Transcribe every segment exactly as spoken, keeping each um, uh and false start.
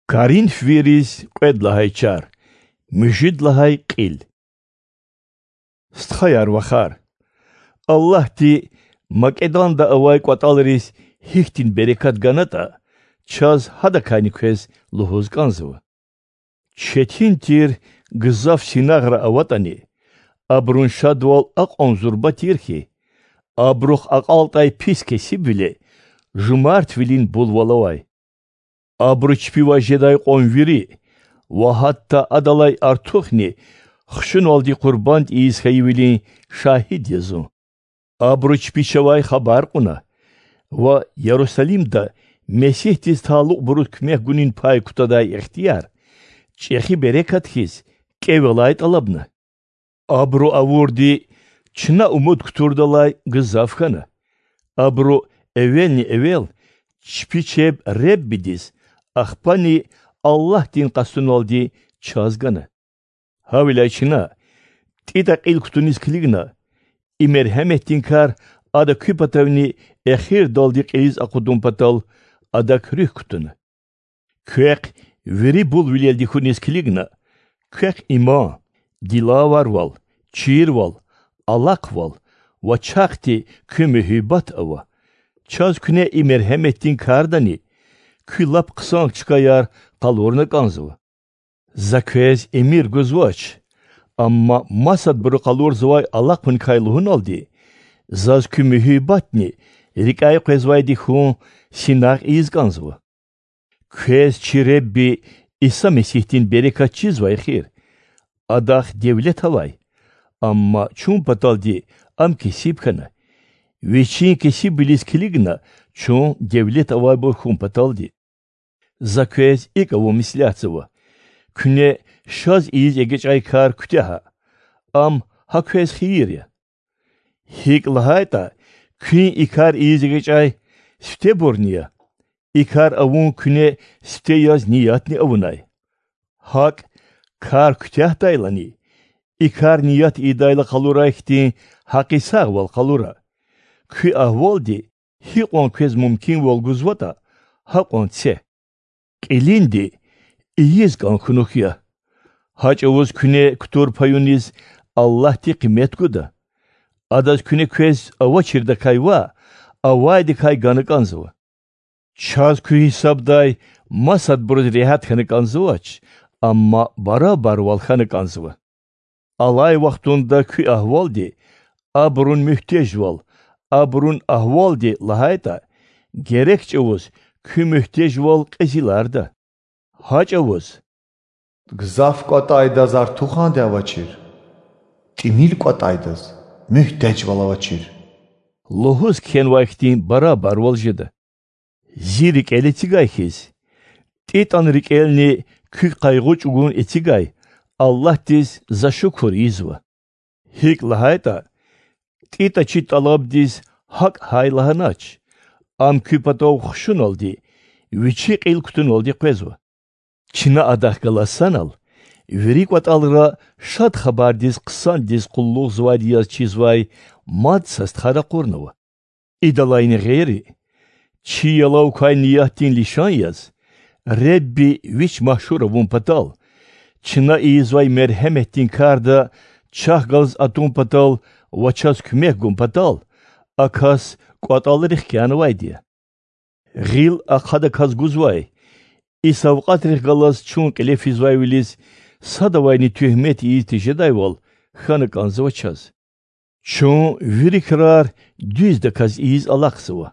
Коринф вириз кьвед лагьай чар, муьжуьд лагьай кьил. Стхаяр-вахар, Аллагьди МакӀеданда авай кӀватӀалриз гьихьтин берекат ганатӀа, чаз гьадакайни квез лугьуз кӀанзава. Четин тир гзаф синагъра аватӀани, абурун шадвал акьван зурба тир хьи, абурухъ акьалтӀай пис кесибвиле жумартвилин булвал авай. Абуру чпивай жедай кьван вири ва гьатта адалай артухни хушуналди къурбанд ийиз хьайивилин шагьид я зун. Абуру чпи чавай хабар кьуна ва Ярусалимда Месигьдиз талукьбуруз куьмек гунин пай кутадай ихтияр, чӀехи берекат хьиз, кӀевелай тӀалабна. Абуру авурди чна умуд кутурдалай гзаф хьана. Абуру эвелни-эвел чпи чеб Реббидиз, ахпани Аллагьдин къастуналди чаз гана. Гьавиляй чна, ТӀитӀа кьил кутуниз килигна, и мергьеметдин кар ада куь патавни эхирдалди кьилиз акъудун патал, адак руьгь кутуна. Квехъ вири булвилелди хьуниз килигна, квехъ иман, дилаварвал, чирвал, алахъвал ва чахъти куь муьгьуьббат ава. Чаз куьне и мергьеметдин кардани куь лап хъсан чкаяр къалурна кӀанзава. За квез эмир гузвач, амма масадбуру къалурзавай алахъуникай лугьуналди, заз куь муьгьуьббатни рикӀяй къвезвайди хьун синагъ ийиз кӀанзава. Квез чи Ребби Иса Месигьдин берекат чизвай эхир. Адахъ девлет авай, амма чун паталди ам кесиб хьана, вичин кесибвилиз килигна чун девлет авайбур хьун паталди. За квез икӀ авун меслятзава: куьне шаз ийиз эгечӀай кар куьтягьа, ам гьа квез хийир я. ГьикӀ лагьайтӀа куьн и кар ийиз эгечӀай сифтебурни я, и кар авун куьне сифте яз ниятни авунай. ГьакӀ, кар куьтягьдайлани, и кар ният ийидайла къалурай хьтин гьакъисагъвал къалура. Куь агьвалди гьикьван квез мумкинвал гузватӀа, гьакьван це. Кьилинди ийиз кӀан хьунухь я. Гьа чӀавуз куьне кутур паюниз Аллагьди къимет гуда. Адаз куьне квез авачирдакай ваъ, авайдакай гана кӀанзава. Чаз куь гьисабдай масадбуруз регьят хьана кӀанзавач, амма барабарвал хьана кӀанзава. Алай вахтунда куь агьвалди абурун муьгьтежвал, абурун агьвалди лагьайтӀа, герек чӀавуз куь муьгьтежвал кьезиларда. Гьа чӀавуз: Гзаф кӀватӀайдаз артуханди авачир, тӀимил кӀватӀайдаз муьгьтежвал авачир лугьуз кхьенвай хьтин барабарвал жеда. Зи рикӀел эцигай хьиз, ТӀитӀан рикӀелни куь къайгъу чӀугун эцигай Аллагьдиз За шукур ийизва. ГьикӀ лагьайтӀа ТӀитӀа чи тӀалабдиз гьакӀ-гьай лагьанач, ам куь патав хушуналди, вичи кьил кутуналди къвезва. Чна адахъ галаз санал вири кӀватӀалра Шад Хабардиз хъсандиз къуллугъзавайди яз чизвай мад са стха ракъурнава. Идалайни гъейри, чи ялав квай ниятдин лишан яз, Ребби Вич машгьур авун патал, чна ийизвай мергьеметдин карда чахъ галаз атун патал ва чаз куьмек гун патал, а кас кӀватӀалрихъ кӀанзавайди я. Гъил ахъа адаказ гузвай и савкьватрихъ галаз чун кьиле физвайвилиз садавайни туьгьмет ийиз тежедайвал хьана кӀанзава чаз. Чун вири крар дуьздаказ ийиз алахъзава: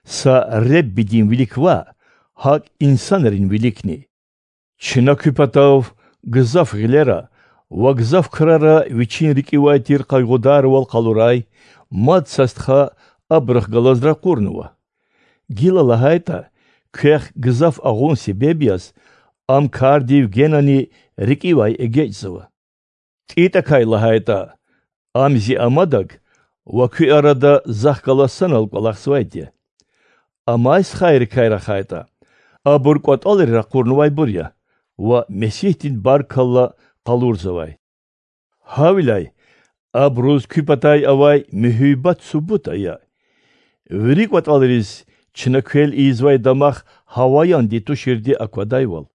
са Реббидин вилик ваъ, гьакӀ инсанрин виликни. Чна куь патав гзаф гъилера ва гзаф крара вичин рикӀивай тир къайгъударвал къалурай мад са стха абурухъ галаз ракъурнава. Гила лагьайтӀа, квехъ гзаф агъун себеб яз, ам кардив генани рикӀивай эгечӀзава. ТӀитӀакай лагьайтӀа, ам зи амадаг ва куь арада захъ галаз санал кӀвалахзавайди я. Амай стхайрикай рахайтӀа, абур кӀватӀалри ракъурнавайбур я ва Месигьдин баркалла къалурзавай. Гьавиляй абуруз куь патай авай муьгьуьббат субут ая, вири кӀватӀалриз чна квел ийизвай дамах гьаваянди туширди аквадайвал.